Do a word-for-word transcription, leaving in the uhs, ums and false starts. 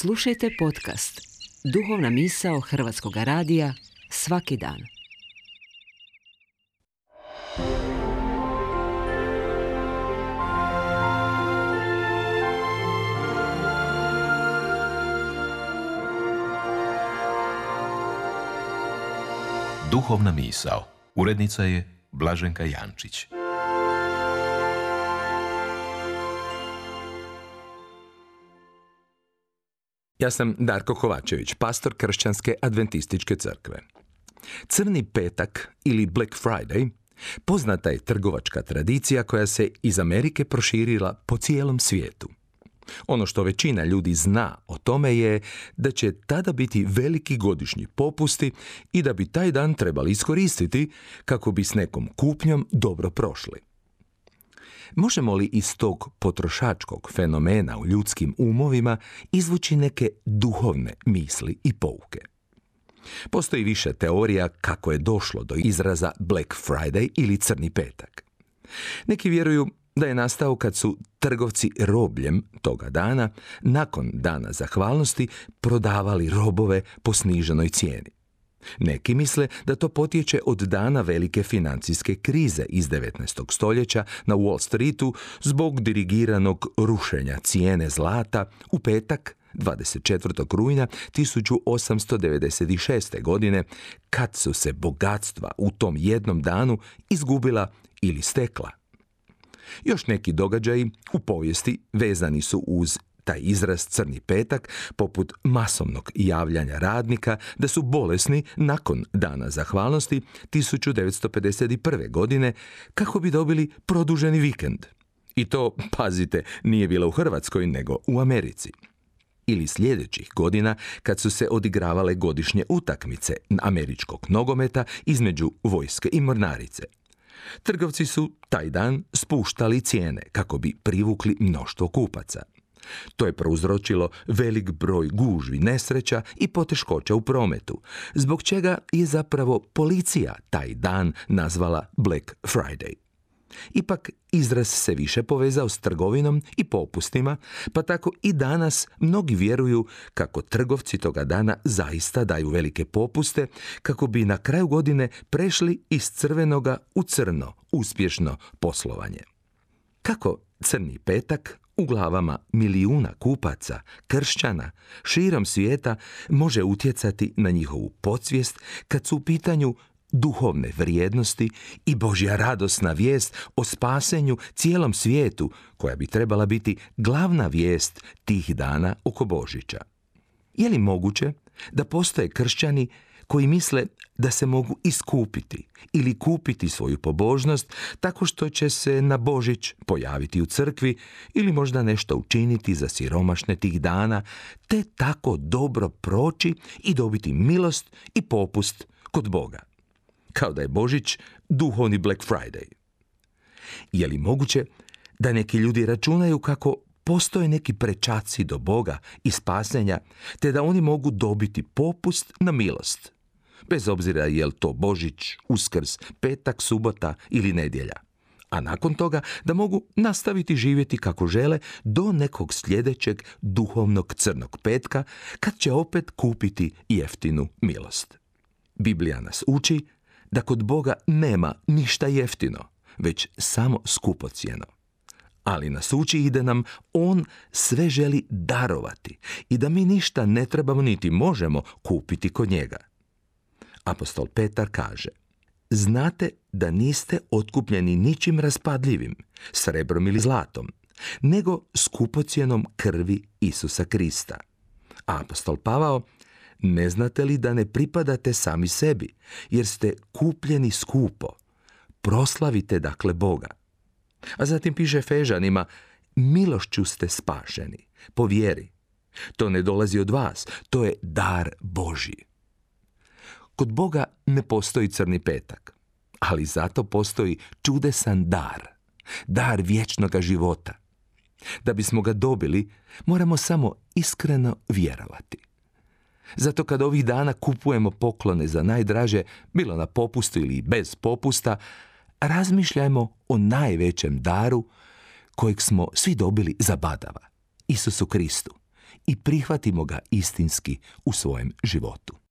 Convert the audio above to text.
Slušajte podcast Duhovna misao Hrvatskog radija svaki dan. Duhovna misao. Urednica je Blaženka Jančić. Ja sam Darko Kovačević, pastor Kršćanske adventističke crkve. Crni petak ili Black Friday poznata je trgovačka tradicija koja se iz Amerike proširila po cijelom svijetu. Ono što većina ljudi zna o tome je da će tada biti veliki godišnji popusti i da bi taj dan trebali iskoristiti kako bi s nekom kupnjom dobro prošli. Možemo li iz tog potrošačkog fenomena u ljudskim umovima izvući neke duhovne misli i pouke? Postoji više teorija kako je došlo do izraza Black Friday ili crni petak. Neki vjeruju da je nastao kad su trgovci robljem toga dana, nakon dana zahvalnosti, prodavali robove po sniženoj cijeni. Neki misle da to potječe od dana velike financijske krize iz devetnaestog stoljeća na Wall Streetu zbog dirigiranog rušenja cijene zlata u petak dvadeset četvrtog rujna tisuću osamsto devedeset šeste. godine, kad su se bogatstva u tom jednom danu izgubila ili stekla. Još neki događaji u povijesti vezani su uz taj izraz crni petak, poput masovnog javljanja radnika da su bolesni nakon dana zahvalnosti tisuću devetsto pedeset prve. godine kako bi dobili produženi vikend. I to, pazite, nije bilo u Hrvatskoj nego u Americi. Ili sljedećih godina kad su se odigravale godišnje utakmice američkog nogometa između vojske i mornarice. Trgovci su taj dan spuštali cijene kako bi privukli mnoštvo kupaca. To je prouzročilo velik broj gužvi, nesreća i poteškoća u prometu, zbog čega je zapravo policija taj dan nazvala Black Friday. Ipak izraz se više povezao s trgovinom i popustima, pa tako i danas mnogi vjeruju kako trgovci toga dana zaista daju velike popuste kako bi na kraju godine prešli iz crvenoga u crno uspješno poslovanje. Kako crni petak u glavama milijuna kupaca, kršćana, širom svijeta može utjecati na njihovu podsvijest kad su u pitanju duhovne vrijednosti i Božja radosna vijest o spasenju cijelom svijetu, koja bi trebala biti glavna vijest tih dana oko Božića. Je li moguće da postoje kršćani koji misle da se mogu iskupiti ili kupiti svoju pobožnost tako što će se na Božić pojaviti u crkvi ili možda nešto učiniti za siromašne tih dana, te tako dobro proći i dobiti milost i popust kod Boga? Kao da je Božić duhovni Black Friday. Je li moguće da neki ljudi računaju kako postoje neki prečaci do Boga i spasenja, te da oni mogu dobiti popust na milost, bez obzira je li to Božić, Uskrs, petak, subota ili nedjelja, a nakon toga da mogu nastaviti živjeti kako žele do nekog sljedećeg duhovnog crnog petka, kad će opet kupiti jeftinu milost. Biblija nas uči da kod Boga nema ništa jeftino, već samo skupocjeno. Ali nas uči i da nam On sve želi darovati i da mi ništa ne trebamo niti možemo kupiti kod njega. Apostol Petar kaže: znate da niste otkupljeni ničim raspadljivim, srebrom ili zlatom, nego skupocjenom krvi Isusa Krista. A apostol Pavao: ne znate li da ne pripadate sami sebi, jer ste kupljeni skupo? Proslavite dakle Boga. A zatim piše Efežanima: milošću ste spašeni, po vjeri. To ne dolazi od vas, to je dar Božji. Kod Boga ne postoji crni petak, ali zato postoji čudesan dar, dar vječnoga života. Da bismo ga dobili, moramo samo iskreno vjerovati. Zato kad ovih dana kupujemo poklone za najdraže, bilo na popustu ili bez popusta, razmišljajmo o najvećem daru kojeg smo svi dobili za badava, Isusu Kristu, i prihvatimo ga istinski u svojem životu.